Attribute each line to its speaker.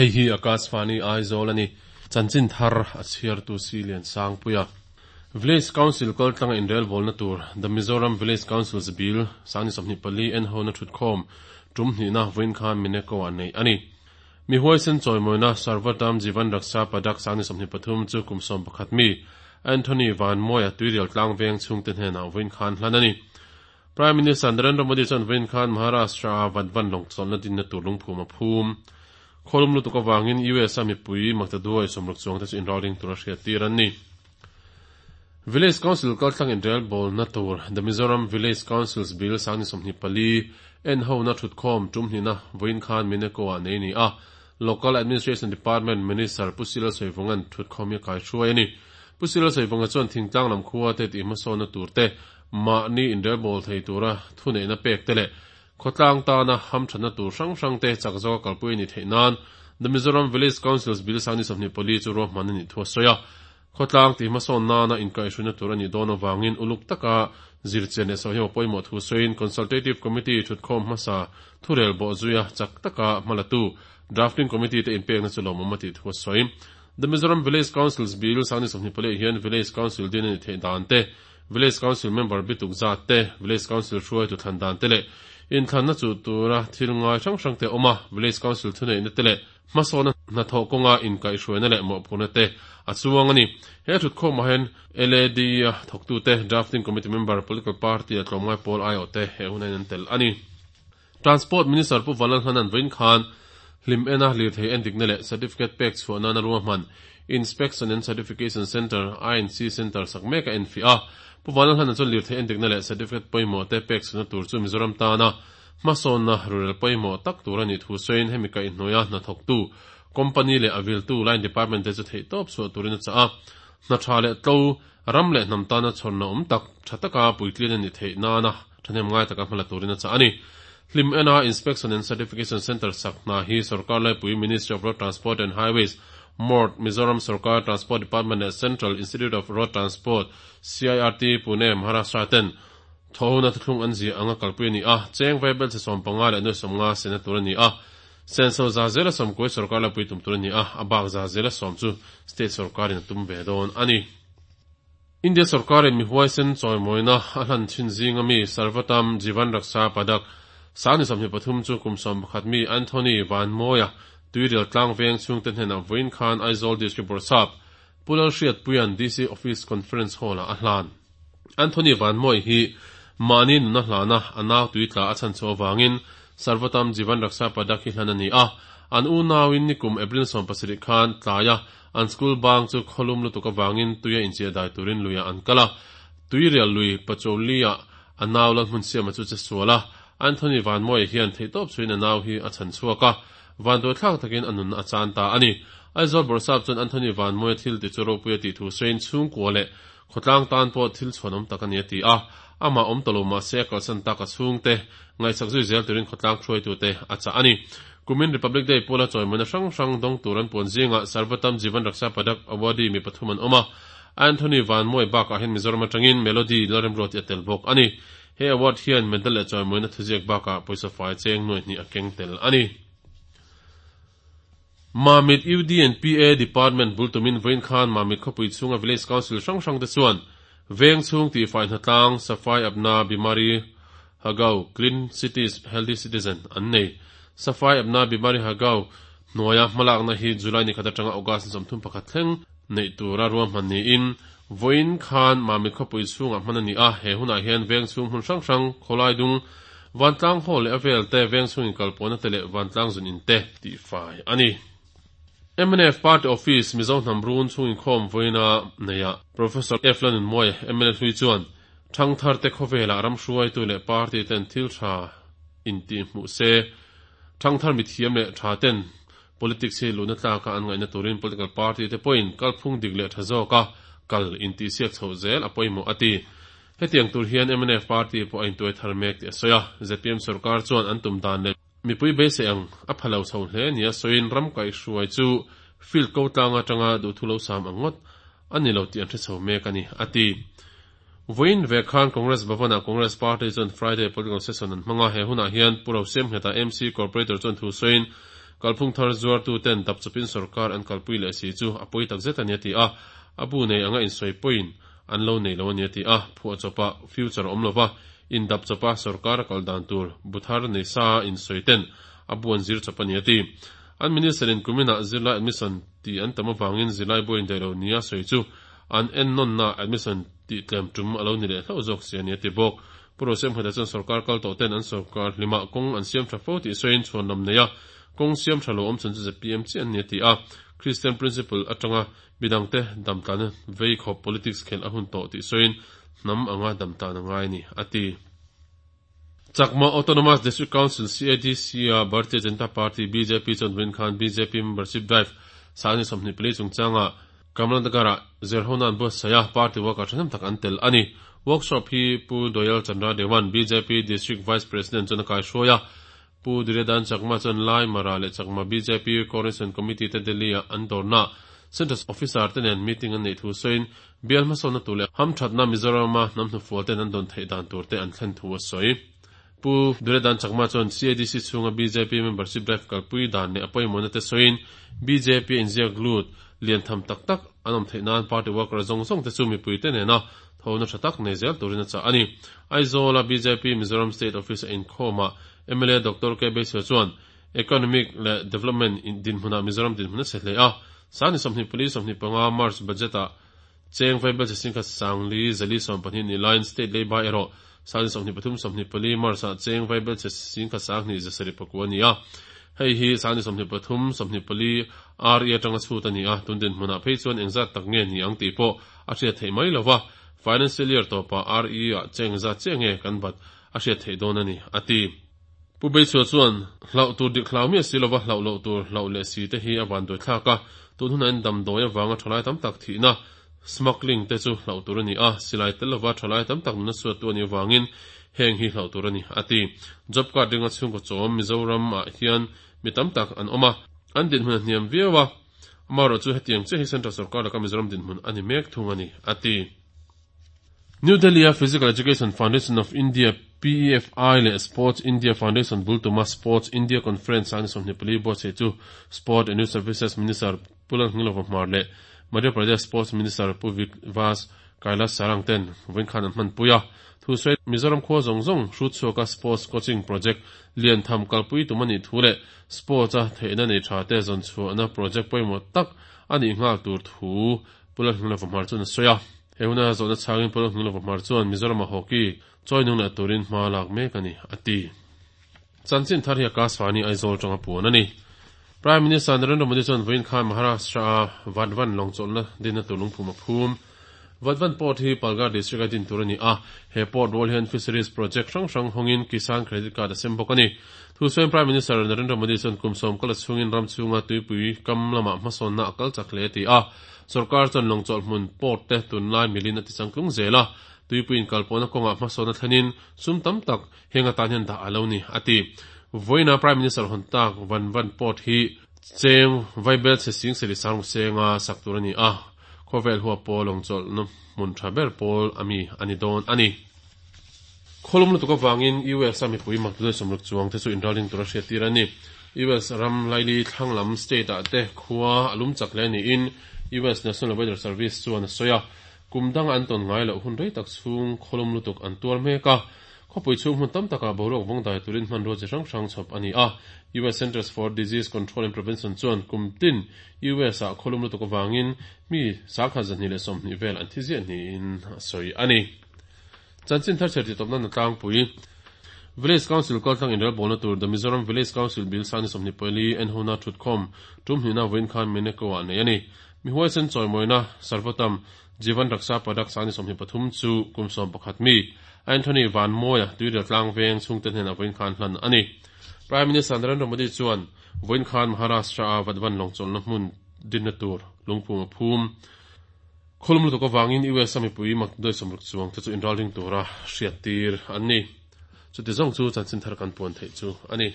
Speaker 1: Hei hi Akashvani Aizawl a ni. Chanchin thar a chhiartu si Lian Sangpuia. Village Council kaltlanga inrelbawlna tur The Mizoram Village Councils Bill 2024 en hona thutkhawm tum hnihna vawiin khan Mineko ah neih a ni. Mi huaisen chawimawina Sarvatam Jivan Raksha Padak 2023 chu kum 11 mi Anthony Vanmawia Tuirial tlang veng chhungte hnenah vawiin khan hlan a ni. Prime Minister Narendra Modi chuan vawiin khan Maharashtra-a Vadvan lawng chawlhna dinna tur lungphum a phum. Khawlum lutuk avangin US-a mipui maktaduai 60 chuangte chu inralring tura hriattir an ni. Village Council kaltlang inrelbawlna tur The Mizoram Village Councils Bill 2024 en hona thutkhawm tum hnihna vawiin khan Mineko-ah nei a ni a. Local Administration Department Minister Pu Sila Sawivunga'n thutkhawm hi a kaihruai a ni. Pu Sila Sawivunga chuan thingtlang lam khua te tihhmasawnna tur te, mahni inrelbawl thei tura thuneihna pek te leh khawtlang tana hamthatna tur hrang hrang te chak zawka kalpui a nih theih nan The Mizoram Village Councils Bill 2024 chu ruahman a nih thu a sawi a. Khawtlang tihhmasawn nana inkaihhruina tur a nih dawn avangin uluk taka zirchian leh sawiho pawimawh thu sawiin Consultative Committee thutkhawm hmasa thurel bawh zuia chak taka hmalatu Drafting Committee te inpekna chu lawmawm a tih thu a sawi. The Mizoram Village Councils Bill 2024 hian Village Council din a nih theih dan te, Village Council member bituk zat te, Village Council hruaitu thlan dan te leh inthlanna chuh tura thil ngai hrang hrang te a awm a, Village Council thuneihna te leh hmasawnna hnathawh kawnga inkaihhruaina leh mawhphurhna te a chuang a ni. He thutkhawmah hian LAD a thawktute, Drafting Committee member, Political Party a tlawmngai pawl aiawhte he hun hian an tel a ni. Transport Minister Pu Vanlalhnanan vawiin khan hlim ena lirthei endikna leh certificate pek chhuah nana ruahman Inspection and Certification Centre, INC Centre, sak mek a enfiah a. Pu Vanlalhnana chuan lirthei endikna leh certificate pawimawh te pek chhuahna tur chu Mizoram tana hmasawnna rurel pawimawh tak tur a nih thu sawiin hemi kaihhnuaia hnathawktu company leh a viltu line department te chu theihtawp chhuah turin a chah a. Hna tha leh tlo, ram leh hnam tana chhawnna awm tak, tha taka puitlin a nih theih nana thahnem ngai taka hmala turin a chah a ni. Hlim ena Inspection and Certification Centre sak hna hi Sorkar Laipui Ministry of Road Transport and Highways, MORT, Mizoram Sorkar Transport Department leh Central Institute of Road Transport, CIRT, Pune, Maharashtra ten Thawhona thuthlung an ziah anga kalpui a ni a, cheng vaibel che 15 leh nuai 50 sena tur a ni a, senso za zela sawmkuai sorkar la pui tum tur a ni a, a bak za zela sawm chu state sorkarin a tum ve dawn a ni. India sorkarin mi huaisen chawimawina a hlan thin zinga mi Sarvatam Jivan Raksha Padak 23 chu kum 11 mi Anthony Vanmawia Tuirial tlang veng chhungte hnenah vawiin khan Aizawl District Bawrhsap Pu Lalhriatpuia'n DC Office Conference Hall-ah a hlan. Anthony Vanmawi hi mahni nuna hlana a nau tuitla a chhan chhuah avangin Sarvatam Jivan Raksha Padak hi hlan a ni a. An unauin nikum April 17 khan tlaia an school bang chu khawlum lutuk avangin tuia inchiah dai turin luiah an kal a. Tuirial lui Pacholi-ah a nau Lalhmunsiama chu che sual a. Anthony Vanmawi hian theihtawp chhuiin a nau hi a chhan chhuak a. Vanduaithlak takin a nun a chan ta a ni. Aizawl Bawrhsap chuan Anthony Vanmawia thil ti chu ropui a tih thu sawiin chhungkua leh Khawtlang tan pawh thil chhuanawm tak a ni a ti a, amah awm ta lo mah se a kalsan tak a chhungte ngaihsak zui zel turin khawtlang hruaitute a chah a ni. Kumin Republic Day pawla chawimawina hrang hrang dawng tur an puan zingah Sarvatam Jivan Raksha Padak awardee mi pathum an awm a, Anthony Vanmawi bakah hian Mizoram atangin Melody Lalremruati a tel bawk a ni. He award hian medal leh chawimawina thuziak bakah pawisa fai cheng nuai hnih a keng tel a ni. Mamit UD and PA Department bul tumin vawiin khan Mamit khawpui chhunga Village Council hrang hrang te chuan veng chhung tihfai hnatlang, Safai Apna Bimari Hagau, Clean Cities Healthy Citizen, an nei. Safai Apna Bimari Hagau hnuaia hmalakna hi July ni khat atanga August ni 31 thleng neih tura ruahman niin vawiin khan Mamit khawpui chhungah hman a ni a, he hunah hian veng chhung hmun hrang hrang, khawlai dung, Vantlang hall leh a vel te, veng chhung inkalpawhna te leh vantlang zun in te tihfai a ni. Mnf Party Office Mizo hnam run chhung inkhawm vawiina neiah Professor F. Lanunmuai, mla hlui chuan thangthar te khawvelah ram hruaitu leh party ten thil tha intih hmuh se, thangthar mithiam leh tha ten politics hi luhna tlaka an ngaihna turin political party te pawhin kalphung dik leh tha zawka kal intihsiak chhoh zel a pawimawh a ti. Hetiang tur hian mnf party pawh a intuai thar mek tih a sawi a, zpm sorkar chuan an tum dan leh mipui beisei ang a pha lo chho hle nia sawiin ram kaihhruai chu field ko tlang atanga duhthu lo sam ang ngawt a ni lo tih an hre chho mek a ni, a ti. Vawiin ve khan Congress Bhavan-ah Congress Party chuan Friday political session an hmang a, he hunah hian Pu Rosiamngheta MC Corporator chuan thu sawiin Kalphung thar zuartu ten dapchawpin sorkar an kalpui leh si chu a pawi takzet a ni a ti a, a bu nei anga insawi pawhin an lo nei lo a ni a ti a, phuahchawpa future awm lova indapchawpa sorkar a kal dan tur bu thar nei sa insawi ten a bu an zir chawp a ni a ti. An minister in kuminah zirlai admission ti an tam avangin zirlai buai indaih lo nia sawi chu an ennawnna admission tih tlem tum a lo ni leh hlauh zawk si a ni a ti bawk. Pu Rosiamkhata chuan sorkar kal tawh ten an sorkar hlimah kawng an siam tha fo tih sawiin chhuanlam nei a, kawng siam tha lo awm chhan chu zpm chiah an ni a ti a. Christian principle atanga midangte damtlana vei khawp politics khelh a hun tawh tih sawiin hnam anga damtlan a ngai a ni a ti. Chakma Autonomous District Council, CADC, a Bharatiya Janata Party, bjp, chuan vawiin khan bjp membership drive sangni 24 chungchanga Kamlanagar-ah zirhona an buatsaih a, party worker thahnem tak an tel a ni. Workshop hi Pu Doyal Chandra Dewan, bjp District Vice President chuan a kaihruai a, Pu Duryodhan Chakma chuan Lai, Mara leh Chakma bjp Coordination Committee te Delhi-ah an dawrna Central Officer te nen meeting an neih thu sawiin Bial hmasawnna tur leh hamthatna Mizorama hnam hnufual ten an dawn theih dan tur te an thlen thu a sawi. Pu Duryodhan Chakma chuan CADC chhunga bjp membership drive kalpui dan leh a pawimawhna te sawiin bjp a inziak lut lian tham tak tak an awm theih nan party worker zawng zawng te chu mipui te nena thona tha tak nei zel turin a chah a ni. Aizawl-a bjp Mizoram State Office a inkhawmah mla Doctor K Beiso chuan Economic leh Development dinhmunah Mizoram dinhmun a chhe hle a, Sangni 24 25 March budget-ah cheng vaibel chi singkhat sangli zali 12 ni laiin state leiba erawh Sangni 23 24 March-ah cheng vaibel chi singkhat sanghnih zasarih pakua a ni a. Hei hi Sangni 23 24 RE atanga chhut a ni a, tun dinhmunah phei chuan engzat tak nge ni ang tih pawh a hriat theih mai lo va, financial year tawpah RE-ah cheng engzat chiah nge kan bat a hriat theih dawn a ni, a ti. Pu Beichhua chuan, Hlauh tur dik hlau miah si lova hlauh loh tur hlauh leh si te hi a vanduai thlak a, tun hunah in damdawi avanga thalai tam tak thihna, smuggling, te chu hlauh tur a ni a, silai tel lova thalai tam tak nuna suattu a nih avangin heng hi hlauh tur a ni, a ti. Job card ringa chhungkaw chawm Mizoram ah hian mi tam tak an awm a, an dinhmun a hniam viau a, amaherawhchu hetiang chiah hi Central Sorkar laka Mizoram dinhmun a ni mek thung a ni, a ti. New Delhi-a Physical Education Foundation of India, PEFI, leh Sports India Foundation bul tuma Sports India Conference a ni 24 buatsaih chu Sport and Youth Services Minister Pu Lalhngilova Hmar leh Madhya Pradesh Sports Minister Pu Vivas Kailash Sarang ten vawiin khan an hmanpui a. Thusawi Mizoram khua zawng zawng hrut chhuaka Sports Coaching Project lian tham kalpui tum a nih thu leh Sports-a theihna nei tha te zawn chhuahna project pawimawh tak a nih nghal tur thu Pu Lalhngilova Hmar chuan a sawi a. He huna zawhna chhangin Pu Lalhngilova Hmar chuan Mizorama hockey chawi nung leh turin hma lak mek a ni, a ti. Chanchin thar hi Akashvani Aizawl tanga puan a ni. Prime Minister Narendra Modi chuan vawiin khan Maharashtra-a Vadvan lawngchawlhna dinna tur lungphum a phum. Vadvan Port hi Palghar District-a din tur a ni a, he port rual hian fisheries project hrang hrang hawngin Kisan Credit Card a sem bawk a ni. Thusawiin Prime Minister Narendra Modi chuan kum sawm kal a chhungin ram chhunga tuipui kam lamah hmasawnna a kal chak hle a ti a. Sorkar chuan lawngchawlh hmun port te tunlai milin a tichangtlung zel a, tuipui inkalpawhna kawngah hmasawnna thlenin sum tam tak heng atan hian dah a lo ni, a ti. Vawiina Prime Minister hawn tak Van Van Port hi cheng vaibel chhe sing seri sang senga sak tur a ni a, khawvel huap pawh lawngchawlhna hmun tha ber pawl a mi a ni dawn a ni. Khawlum lutuk avangin US a mipui makdudai sawmruk chuang te chu inralring tura hriattir a ni. US ram laili thlang lam state ah te khua a lum chak hle niin US National Weather Service chuan a sawi a. Kum danga an tawn ngai loh hun rei tak chhung khawlum lutuk an tuar mek a. Khawpui chhung hmun tam takah boruak vawng dai turin hmanrua chi hrang hrang chhawp a ni a. US Centers for Disease Control and Prevention chuan kum tin US ah khawlum lutuk avangin mi 220 vel an thi ziah niin a sawi a ni. Chanchin thar chher titawpna na tlangpui, Village Council kaltlang inrelbawlna tur The Mizoram Village Council Bill sangni 24 enhona thutkhawm tum hnihna vawiin khan Meneko-ah nei a ni. Mi huaisen chawimawina Sarvotam Jeevan Raksha Padak sangni 23 chu kum 11 mi Anthony Vanmawia tuirial tlang veng chhungte hnenah vawiin khan hlan a ni. Prime Minister Narendra Modi chuan vawiin khan Maharashtra-a Vadvan lawngchawlhna hmun dinna tur lungphum a phum. Khawlum lutuk avangin US a mipui makdoi sawmruk chuang te chu inralring tura hriattir an ni. Chuti zawng chu chanchin thar kan puan theih chu a ni.